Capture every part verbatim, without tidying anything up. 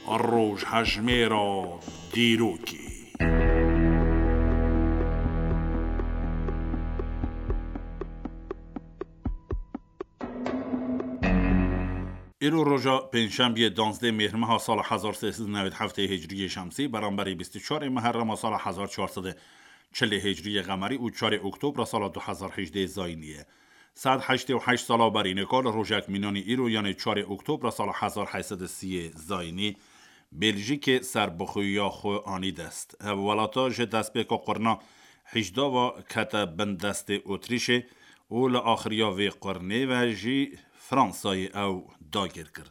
Rojhejmêra dîrokê. Îro roja pêncşembiyê, danzdeh mêrmeha sala hezar sê sed û newêd heftê hicriyê şemsî, beramberî bîst û çarê meherrema sala hezar çar sed û çilê hicriyê qemerî û çarê oktobra sala du hezar hejdê zayînî ye. Sed heştê û heşt sala berî nika li rojek mînanî îro, yanê çarê oktobra sala hezar heyt sed û sî zayînî, Bêljîkê serbixweya xwe anî dest. Ev welata ji destpêka qurna hîjdava kete bin destê Otrîşê û li axiriya vê qurnê ve jî Fransayê ew dagir kir.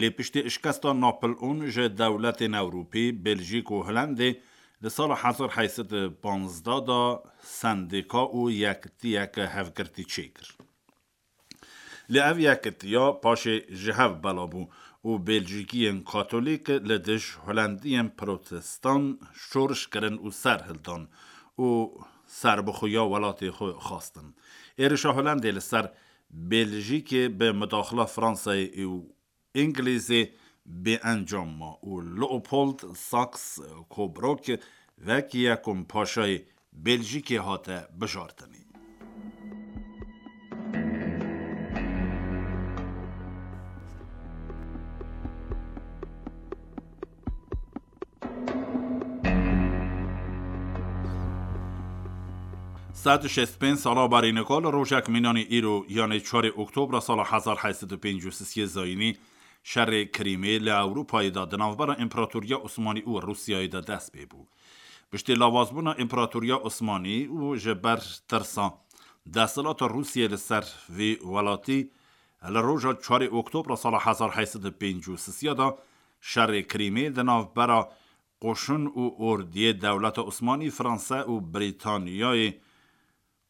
Lê piştî şikesta Napoleon ji dewletên Ewropî, Bêljîk û Holendê li sala hezar heyt sed û panzdeh de sendîka û yekitiyeke hevgirtî çêkir. Lê ev yekitiya paşê ji hev bela bû û Bêljîkiyên Katolîk li dij Holendiyên Protestan şoriş kirin û ser hildan û serbixweya welatê xwe xwestin. Êrişa Holendê li ser Bêljîkê bi mudaxila Fransayê û Îngilîzê bêencam ma û Leopold Saxe-Coburg wekî yekum paşayê Bêljîkê hate bijartinê. Sed û şêst pênc sala berî nika li rojek mînanî îro, yanê çarê oktobra sala hezar heyt sed û pêncî û sisê zayînî, şerê Krîmê li Ewropayê de di navbera Împaratoriya Osmanî û Rûsyayê de dest pê bû. Piştî lawazbûna Împaratoriya Osmanî û ji ber tirsa desthilata Rûsyayê li ser vî welatî, li roja çarê oktobra sala hezar heyt sed û pêncî û sisê de şerê Krîmê di navbera qoşun û ordiyê dewleta Osmanî, Fransa û Brîtaniyayê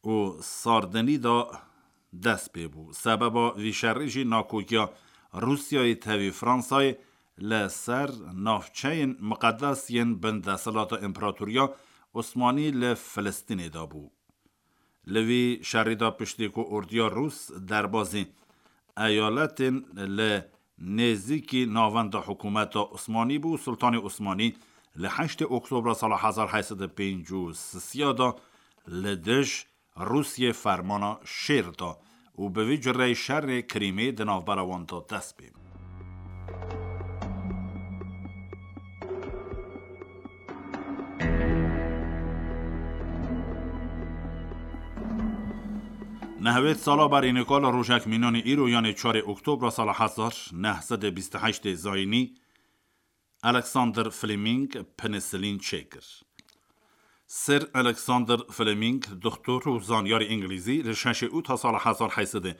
û Sardinî de dest pê bû. Sebeba vî şerî jî nakokiya Rûsyayê tevî Fransayê li ser navçeyên miqedes yên bin desthilata Împaratoriya Osmanî li Filistînê de bû. Li vî şerî de piştî ku ordiya Rûs derbazî eyaletên li nêzîkî navenda hikûmeta Osmanî bû, Sultanê Osmanî li heştê Oktobra sala hezar heyt sed û pêncî û sisê de li dij Rûsiyê fermana şêr da û bi vî cureyî şerê Krîmê di navbera wan de dest pê. Nehwêd sala berî nika li rojek mînanî îro, yanê çarê Oktobra sala hezar neh sed û bîst û heştê zayînî, Alexander Fleming penisilîn çêkir. Sir Alexander Fleming, doktor û zanyarê îngilîzî, li şeşê ûta sala hezar heyt sed û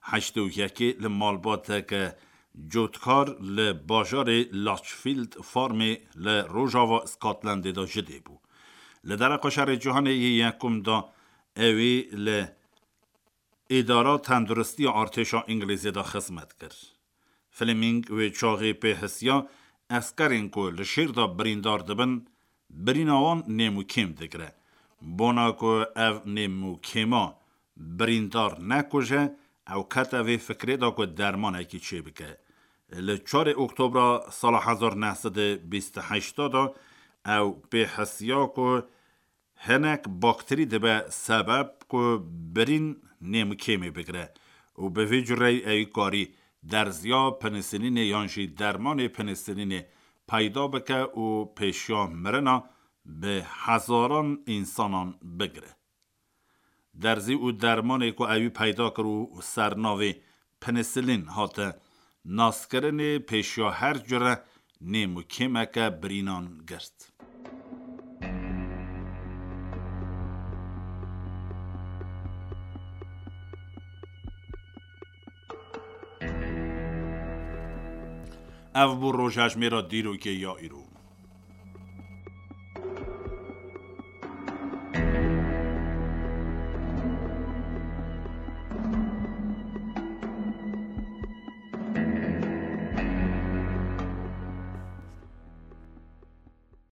heştê û yekê li malbateke cotkar li bajarê Lichfield Farmê li rojava Scotlandê de ji dê bû. Li dereqa şerê cîhanê yê yekum de ewî li Îdara Tenduristiya Artêşa Îngilîzê de xizmet kir. Fleming wê çaxê pê hisiya eskerên ku li şêr de birîndar dibin, birîna wan nêm û kêm digire. Bona ku ev nêm û kêma birîndar nekuje, ew kete vê fikrê de ku dermanekî çêbike. Li çarê Oktobra sala hezar neh sed û bîst û heşt de ew pê hisiya ku hinek bakterî dibe sebeb ku birîn nêm û kêmê bigire û bi vî cureyî ewî karî derziya penisilînê yan jî dermanê penisilînê peyda bike û pêşiya mirina bi hezaran însanan bigire. Derzî û dermanê ku ewî peyda kir û ser navê penisilîn hate naskirinê, pêşiya her cure nêm û kêmeke birînan girt. Ev bû rojhejmêra dîrokê ya îro.